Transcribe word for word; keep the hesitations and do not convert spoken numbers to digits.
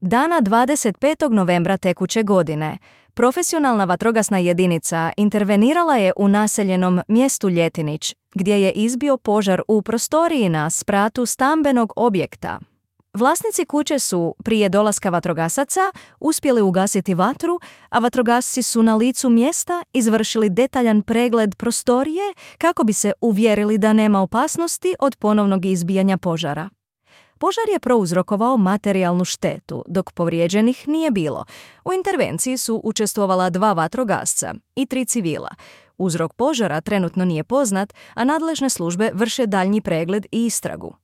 Dana dvadeset petog novembra tekuće godine, profesionalna vatrogasna jedinica intervenirala je u naseljenom mjestu Ljetinić, gdje je izbio požar u prostoriji na spratu stambenog objekta. Vlasnici kuće su, prije dolaska vatrogasaca, uspjeli ugasiti vatru, a vatrogasci su na licu mjesta izvršili detaljan pregled prostorije kako bi se uvjerili da nema opasnosti od ponovnog izbijanja požara. Požar je prouzrokovao materijalnu štetu, dok povrijeđenih nije bilo. U intervenciji su učestvovala dva vatrogasca i tri civila. Uzrok požara trenutno nije poznat, a nadležne službe vrše daljnji pregled i istragu.